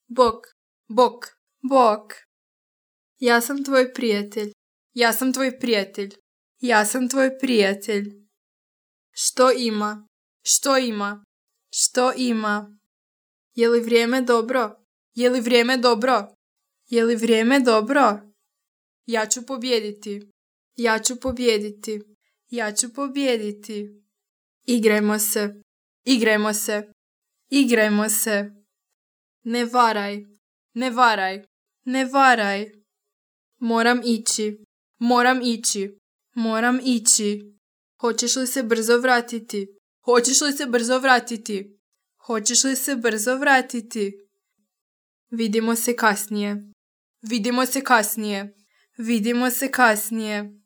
Bok, bok, bok. Ja sam tvoj prijatelj. Ja sam tvoj prijatelj. Ja sam tvoj prijatelj. Što ima? Što ima? Što ima? Je li vrijeme dobro? Je li vrijeme dobro? Je li vrijeme dobro? Ja ću pobijediti. Ja ću pobijediti. Ja ću pobijediti. Igrajmo se. Igrajmo se. Igrajmo se. Ne varaj. Ne varaj. Ne varaj. Moram ići. Moram ići. Moram ići. Hoćeš li se brzo vratiti? Hoćeš li se brzo vratiti? Hoćeš li se brzo vratiti? Vidimo se kasnije. Vidimo se kasnije. Vidimo se kasnije.